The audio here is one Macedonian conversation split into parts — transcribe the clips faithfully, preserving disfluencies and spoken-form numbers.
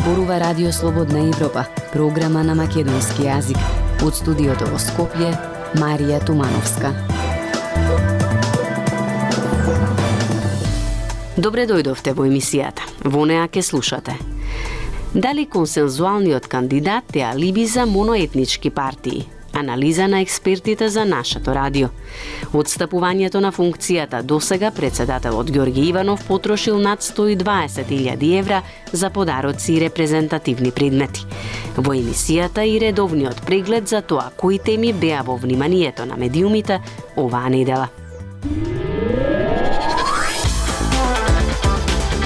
зборува Радио Слободна Европа, програма на македонски јазик. Од студиото во Скопје, Марија Тумановска. Добре дојдовте во емисијата. Во неа ке слушате. Дали консензуалниот кандидат е алиби за моноетнички партии? Анализа на експертите за нашето радио. Отстапувањето на функцијата досега председателот Ѓорѓе Иванов потрошил над сто и дваесет илјади евра за подароци и репрезентативни предмети. Во емисијата и редовниот преглед за тоа кои теми беа во вниманието на медиумите оваа недела.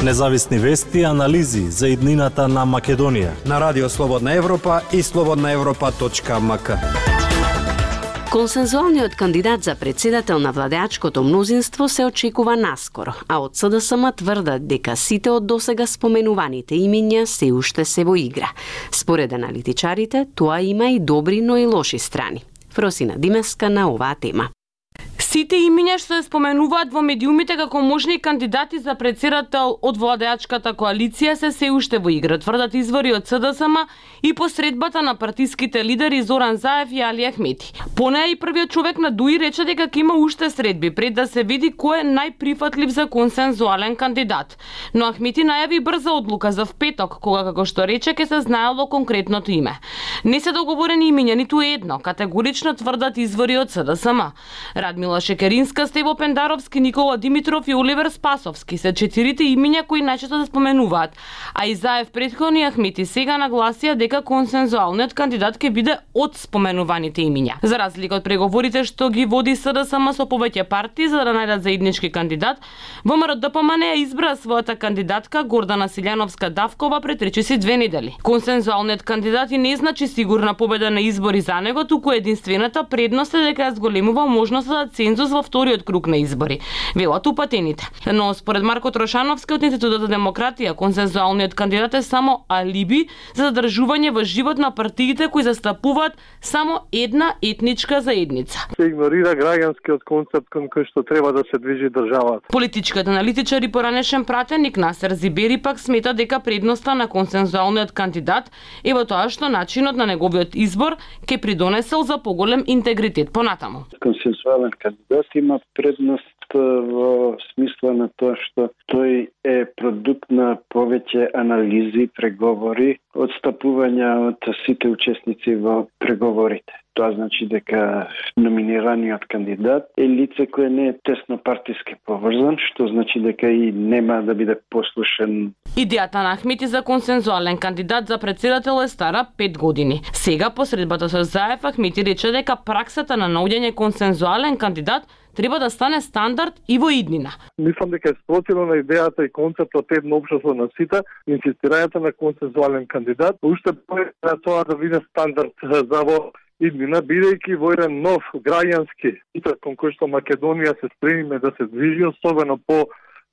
Независни вести и анализи за иднината на Македонија на Радио Слободна Европа и слободна европа точка ем ка. Консензуалниот кандидат за председател на владеачкото мнозинство се очекува наскоро, а од С Д С М тврдат дека сите од досега споменуваните имиња се уште се во игра. Според аналитичарите, тоа има и добри, но и лоши страни. Фросина Димеска на оваа тема. Сите имиња што се споменуваат во медиумите како можни кандидати за председател од владеачката коалиција се се уште во игра, тврдат извори од С Д С М и посредбата на партиските лидери Зоран Заев и Али Ахмети. По неа и првиот човек на ДУИ рече дека ќе има уште средби пред да се види кој е најприфатлив за консензуален кандидат. Но Ахмети најави брза одлука за впеток, кога како што рече ќе се знаело конкретното име. Не се договорени имиња ниту едно, категорично тврдат извори од С Д С М. Радмила Шекеринска, Стево Пендаровски, Никола Димитров и Оливер Спасовски се четирите имиња кои најчесто се споменуваат, а и Заев претходно и Ахмети сега нагласија дека консензуалниот кандидат ќе биде од споменуваните имиња. За разлика од преговорите што ги води С Д С М со повеќе партии за да најдат заеднички кандидат, Во М Р Д П М Н ја избра својата кандидатка Гордана Силјановска-Давкова пред речиси две недели. Консензуалниот кандидат и не значи сигурна победа на избори за него, туку единствената предност е дека ја зголемува можноста за цензус во вториот круг на избори, велат упатените. Но според Марко Трошановски од Институтот за демократија, консензуалниот кандидат е само алиби за задржување во живот на партиите кои застапуваат само една етничка заедница. Се игнорира граѓанскиот концепт кон кој што треба да се движи државата. Политичкиот аналитичар и поранешен пратеник Насер Зибери пак смета дека предноста на консензуалниот кандидат е во тоа што начинот на неговиот избор ќе придонесел за поголем интегритет понатаму. Консензуален кандидат има предност во смисла на тоа што тој е продукт на повеќе анализи, преговори, одстапувања од сите учесници во преговорите. Тоа значи дека номинираниот кандидат е лице кое не е тесно партиски поврзан, што значи дека и нема да биде послушен. Идејата на Ахмети за консензуален кандидат за председател е стара пет години. Сега, посредбата со Заев, Ахмети рече дека праксата на наоѓање консензуален кандидат треба да стане стандард и во иднина. Мислам дека е спротивно на идејата и концептот едно општество на сите, инсистирањето на консензуален кандидат, уште повеќе на тоа да биде стандард за во иднина, бидејќи во еден нов граѓански свет кон кој што Македонија се стремиме да се движи, особено по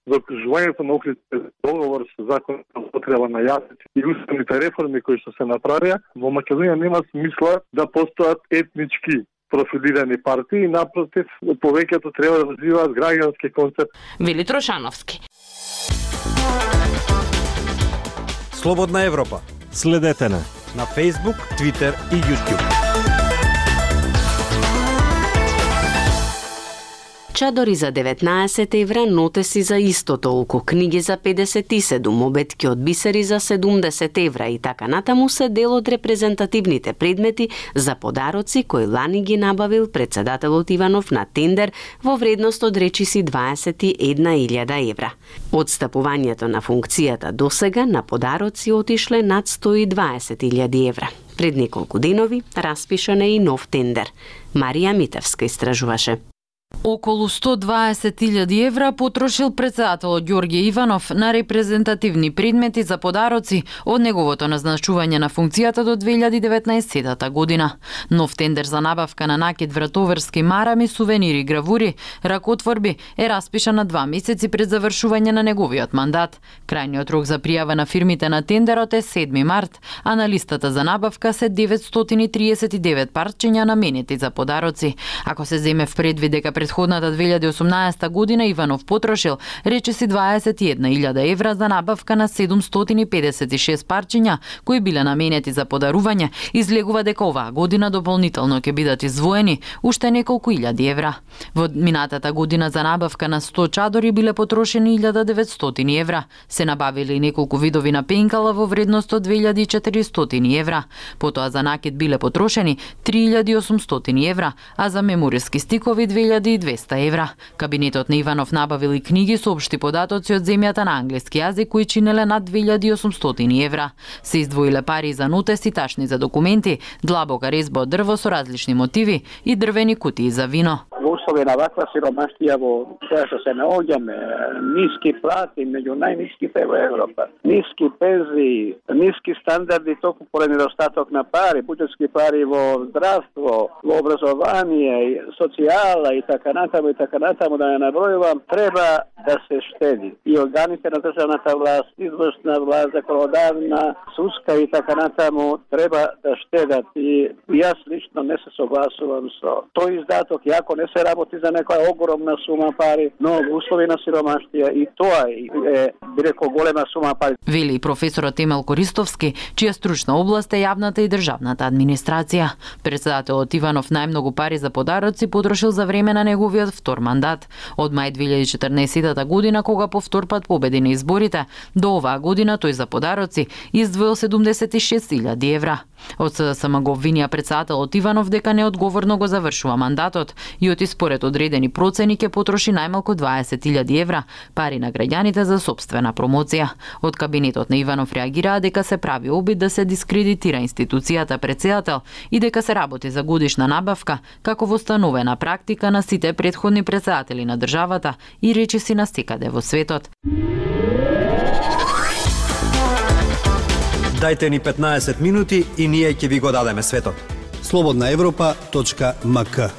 закружувањето на Охридскиот договор со закон за употреба на јазици и уставните реформи кои што се направија, во Македонија нема смисла да постојат етнички профилирани партии, напротив, повеќето треба да развиваат граѓански концепт. Вели Трошановски. Слободна Европа. Следете на на Facebook, Twitter и YouTube. Чадори за деветнаесет евра, нотеси за исто толку, книги за педесет и седум, обетки од бисери за седумдесет евра и така натаму се дел од репрезентативните предмети за подароци кои лани ги набавил председателот Иванов на тендер во вредност од речиси дваесет и една илјада евра. Одстапувањето на функцијата досега на подароци отишле над сто и дваесет илјади евра. Пред неколку денови распишан е и нов тендер. Марија Митевска истражуваше. Околу сто дваесет илјади евра потрошил председателот Ѓорѓе Иванов на репрезентативни предмети за подароци од неговото назначување на функцијата до две илјади и деветнаесетта година. Нов тендер за набавка на накид вратоверски марами, сувенири, гравури, ракотворби е распишан на два месеци пред завршување на неговиот мандат. Крајниот рок за пријава на фирмите на тендерот е седми март, а на листата за набавка се деветстотини триесет и девет парчиња наменети за подароци. Ако се земе в предвид дека претходната две илјади и осумнаесета година Иванов потрошил речиси дваесет и една илјада евра за набавка на седумстотини и педесет и шест парчиња кои биле наменети за подарување. Излегува дека оваа година дополнително ќе бидат издвоени уште неколку илјади евра. Во минатата година за набавка на сто чадори биле потрошени илјада деветстотини евра. Се набавиле и неколку видови на пенкала во вредност од две илјади и четиристотини евра. Потоа за накид биле потрошени три илјади и осумстотини евра, а за мемориски стикови две илјади и двеста евра. Кабинетот на Иванов набавил и книги со општи податоци од земјата на англиски јазик кои чинеле над две илјади и осумстотини евра. Се издвоиле пари за нотеси, тачни за документи, длабока резба од дрво со различни мотиви и дрвени кутии за вино. Во услови на ваква сиромаштија во која што се наоѓаме, ниски плати, меѓу најниските во Европа, ниски пензии, ниски стандарди токму поради недостаток на пари, буџетски пари во здравство, во образование, социјала и така натаму и така натаму да не набројувам, треба да се штеди. И органите на државната власт, извршна власт, законодавна, судска и така натаму треба да штедат. И јас лично не се согласувам со тој издаток, јако не се работи за некоја огромна сума пари, но во услови на сиромаштија и тоа е, би рекол, голема сума пари. Вели професорот Емел Користовски, чија стручна област е јавната и државната администрација. Председателот Иванов најмногу пари за подароци потрошил за време на неговиот втор мандат. Од мај две илјади и четрнаесета година, кога по втор пат победи на изборите, до оваа година тој за подароци издвоил седумдесет и шест илјади евра. Од СДСМ го обвинија председателот Иванов дека неодговорно го завршува мандатот и оти според одредени процени ќе потроши најмалку дваесет илјади евра пари на граѓаните за сопствена промоција. Од кабинетот на Иванов реагираа дека се прави обид да се дискредитира институцијата председател и дека се работи за годишна набавка како востановена практика на сите претходни председатели на државата и речиси на секаде во светот. Дајте ни петнаесет минути и ние ќе ви го дадеме светот. слободна европа точка ем ка.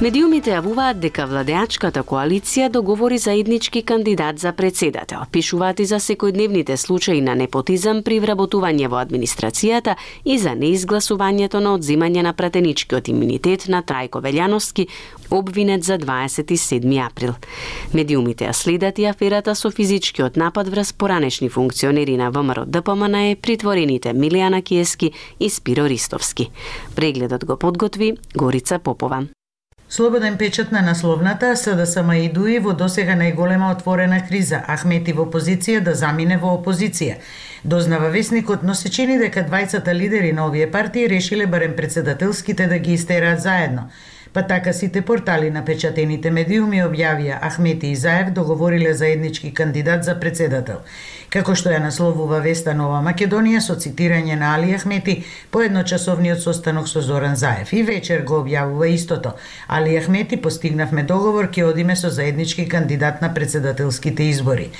Медиумите јавуваат дека владеачката коалиција договори заеднички кандидат за председател. Пишуваат и за секојдневните случаи на непотизам при вработување во администрацијата и за неизгласувањето на одземање на пратеничкиот имунитет на Трајко Велјановски, обвинет за дваесет и седми април. Медиумите ја следат и аферата со физичкиот напад врз поранешни функционери на ВМРО Д П М Н Е, притворените Милијана Киески и Спиро Ристовски. Прегледот го подготви Горица Попова. Слободен печат на насловната СДСМ и ДУИ во досега најголема отворена криза, Ахмети во позиција да замине во опозиција. Дознава весникот, но се чини дека двајцата лидери на овие партии решиле барем председателските да ги истераат заедно. Па така сите портали на печатените медиуми објавија Ахмети и Заев договориле заеднички кандидат за председател. Како што ја насловува Веста Нова Македонија со цитирање на Али Ахмети по едночасовниот состанок со Зоран Заев. И вечер го објавува истото. Али Ахмети, постигнавме договор, ќе одиме со заеднички кандидат на председателските избори.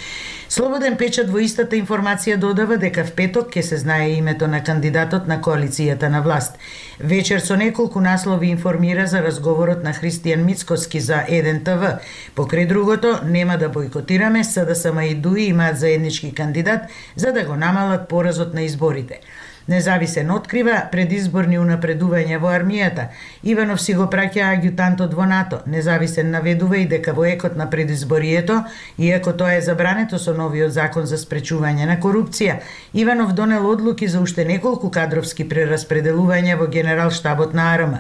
Слободен печат во истата информација додава дека в петок ќе се знае името на кандидатот на коалицијата на власт. Вечер со неколку наслови информира за разговорот на Христијан Мицкоски за еден Т В. Покрај другото, нема да бойкотираме, СДСМ и ДУИ имаат заеднички кандидат за да го намалат поразот на изборите. Независен открива предизборни унапредувања во армијата. Иванов си го праќа аѓутантот во НАТО. Независен наведува и дека во екот на предизборието, иако тоа е забрането со новиот закон за спречување на корупција, Иванов донел одлуки за уште неколку кадровски прераспределувања во Генерал-штабот на А Р М.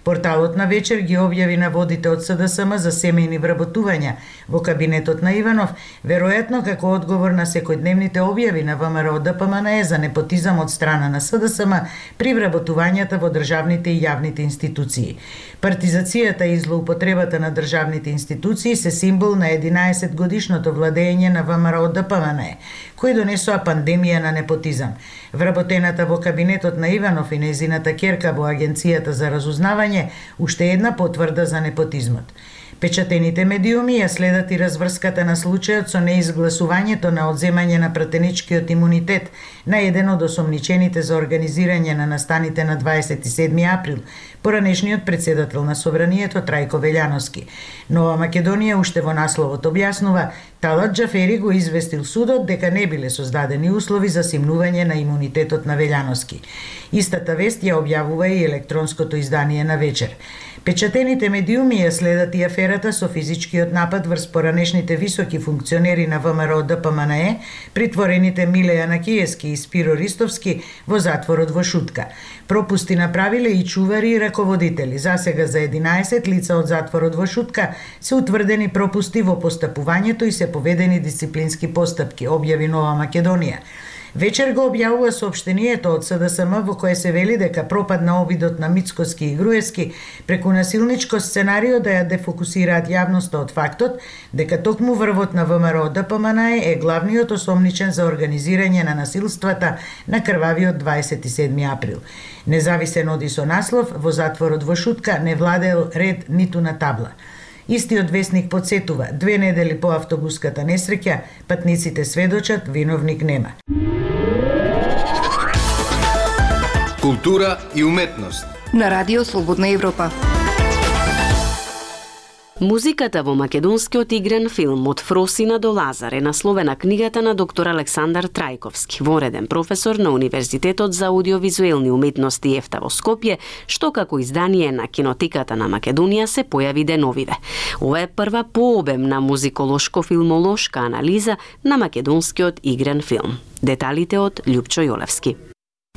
Порталот на вечер ги објави наводите од СДСМ за семејни вработувања во кабинетот на Иванов, веројатно како одговор на секојдневните објави на ВМРО Д П М Н Е за непотизам од страна на СДСМ при вработувањата во државните и јавните институции. Партизацијата и злоупотребата на државните институции се символ на единаесет годишното владење на ВМРО Д П М Н Е, кои донесоа пандемија на непотизам. Вработената во кабинетот на Иванов и нејзината ќерка во Агенцијата за разузнавање уште една потврда за непотизмот. Печатените медиуми ја следат и разврската на случајот со неизгласувањето на одземање на пратеничкиот имунитет на еден од осомничените за организирање на настаните на дваесет и седми април, поранешниот председател на Собранието Трајко Велјановски. Нова Македонија уште во насловот објаснува, Талат Џафери го известил судот дека не биле создадени услови за симнување на имунитетот на Велјановски. Истата вест ја објавува и електронското издание на Вечер. Печатените медиуми ја следат и аферата со физичкиот напад врз поранешните високи функционери на ВМРО Д П М Н Е, притворените Миле Јанакиевски и Спиро Ристовски во затворот во Шутка. Пропусти направиле и чувари и раководители. Засега за единаесет лица од затворот во Шутка се утврдени пропусти во постапувањето и се поведени дисциплински постапки, објави Нова Македонија. Вечер го објавува соопштението од С Д С М во кое се вели дека пропадна обидот на Мицкоски и Груевски преку насилничко сценарио да ја дефокусираат јавноста од фактот дека токму врвот на В М Р Д П М Н Е е главниот осомничен за организирање на насилствата на крвавиот дваесет и седми април. Независен оди со наслов во затворот во Шутка не владел ред ниту на табла. Истиот весник подсетува, две недели по автобуската несреќа, патниците сведочат, виновник нема. Култура и уметност на Радио Слободна Европа. Музиката во македонскиот игран филм Од Фросина до Лазар е насловена книгата на доктор Александар Трајковски, вореден професор на Универзитетот за аудиовизуелни уметности ЕФТА во Скопје, што како издание на Кинотеката на Македонија се појави деновиве. Ова е прва пообемна музиколошко-филмолошка анализа на македонскиот игран филм. Деталите од Љупчо Јолевски.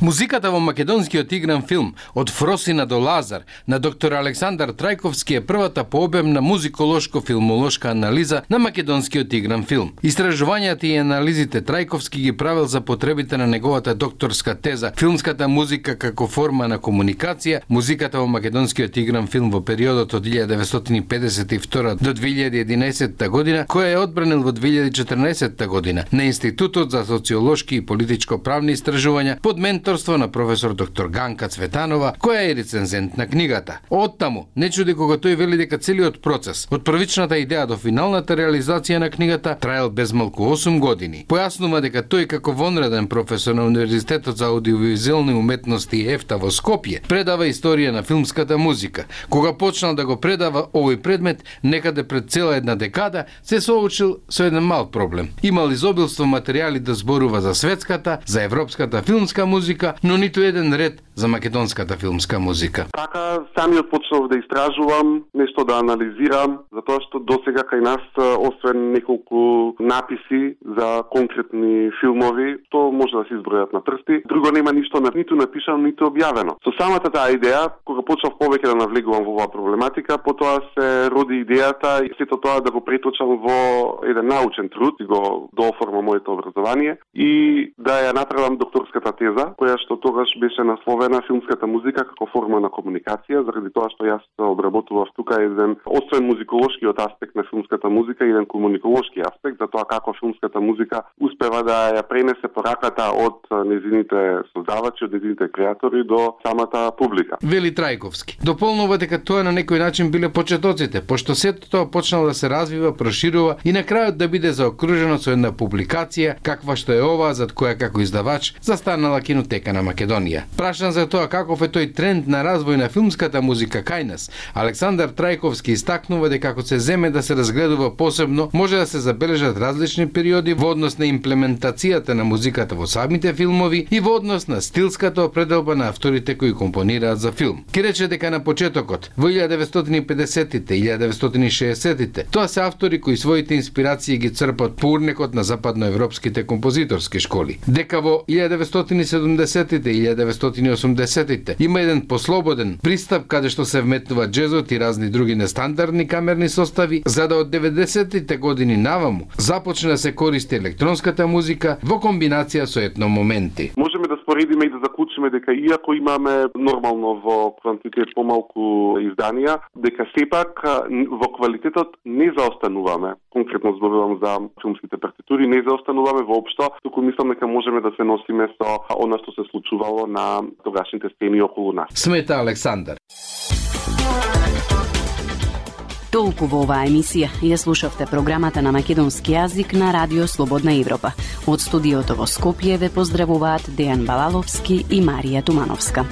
Музиката во македонскиот игран филм Од Фросина до Лазар на доктор Александар Трајковски е првата пообемна музиколошко-филмолошка анализа на македонскиот игран филм. Истражувањата и анализите Трајковски ги правил за потребите на неговата докторска теза Филмската музика како форма на комуникација, музиката во македонскиот игран филм во периодот од илјадет деветстотини педесет и втора до две илјади и единаесетта година, која е одбранил во две илјади и четрнаесетта година на Институтот за социолошки и политичко-правни истражувања под менторство на професор доктор Ганка Цветанова, која е рецензент на книгата. Оттаму, не чуди кога тој вели дека целиот процес, од првичната идеја до финалната реализација на книгата, траел безмалку осум години. Појаснува дека тој како вонреден професор на Универзитетот за аудиовизуелни уметности ЕФТА во Скопје предава историја на филмската музика. Кога почнал да го предава овој предмет, некаде пред цела една декада, се соочил со еден мал проблем. Имал изобилство материјали да зборува за светската, за европската филмска музика, но ниту еден ред за македонската филмска музика. Така самиот почнав да истражувам, нешто да анализирам, затоа што досега кај нас, освен неколку написи за конкретни филмови, што може да се избројат на прсти, друго нема ништо ниту напишано, ниту објавено. Со самата таа идеја, кога почнав повеќе да навлегувам во оваа проблематика, потоа се роди идејата и сето тоа да го преточам во еден научен труд и го дооформам моето образование и да ја направам докторската теза, која што тогаш беше насловена Филмската музика како форма на комуникација, заради тоа што јас обработував тука еден, освен музиколошкиот аспект на филмската музика, еден комуниколошки аспект, за тоа како филмската музика успева да ја пренесе пораката од незините создавачи, од незините креатори до самата публика. Вели Трајковски. Дополнува дека тоа на некој начин биле почетоците, пошто сето тоа почнало да се развива, проширува и на крајот да биде заокружено со една публикација, каква што е оваа, зад која како издавач застанала Кинотека на Македонија. Прашан за тоа каков е тој тренд на развој на филмската музика кај нас, Александар Трајковски истакнува дека ако се земе да се разгледува посебно, може да се забележат различни периоди во однос на имплементацијата на музиката во самите филмови и во однос на стилската определба на авторите кои компонираат за филм. Ке рече дека на почетокот, во илјадет деветстотини и педесетите и илјадет деветстотини и шеесеттите, тоа се автори кои своите инспирации ги црпат по урнекот на западноевропските композиторски школи. Дека во илјадет деветстотини и седумдесетите и илјадет деветстотини и осумдесетите има еден послободен пристап каде што се вметнува джезот и разни други нестандардни камерни состави, за да од деветдесетите години наваму започне да се користи електронската музика во комбинација со етномоменти. Можеме да споредиме и да заклучиме дека иако имаме нормално во квантитет помалку изданија, дека сепак во квалитетот не заостануваме. Конкретно зборувам за филмските партитури, не заостануваме воопшто, туку мислам дека можеме да се носиме со она што се случувало на тогашните сцени околу нас. Смета Александар. Толку во оваа емисија ја слушавте програмата на македонски јазик на Радио Слободна Европа. Од студиото во Скопје ве поздравуваат Дејан Балаловски и Марија Тумановска.